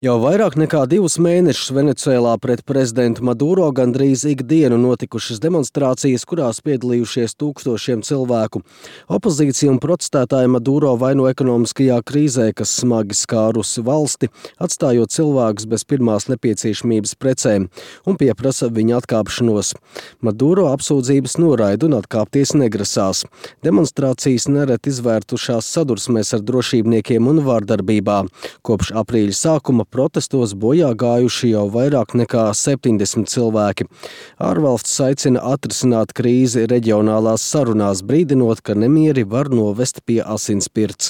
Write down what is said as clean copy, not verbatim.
Jau vairāk nekā 2 mēnešus Venecuēlā pret prezidentu Maduro gandrīz ikdienu notikušas demonstrācijas, kurās piedalījušies tūkstošiem cilvēku. Opozīcija un protestētāji Maduro vaino ekonomiskajā krīzē, kas smagi skārusi valsti, atstājot cilvēkus bez pirmās nepieciešamības precēm, un pieprasa viņa atkāpšanos. Maduro apsūdzības noraida un atkāpties negrasās. Demonstrācijas nereti izvērtušās sadursmēs ar drošībniekiem un vārdarbībā. Kopš aprīļa sākuma protestos bojā gājuši jau vairāk nekā 70 cilvēki. Ārvalstis aicina atrisināt krīzi reģionālās sarunās, brīdinot, ka nemieri var novest pie asinsspirts.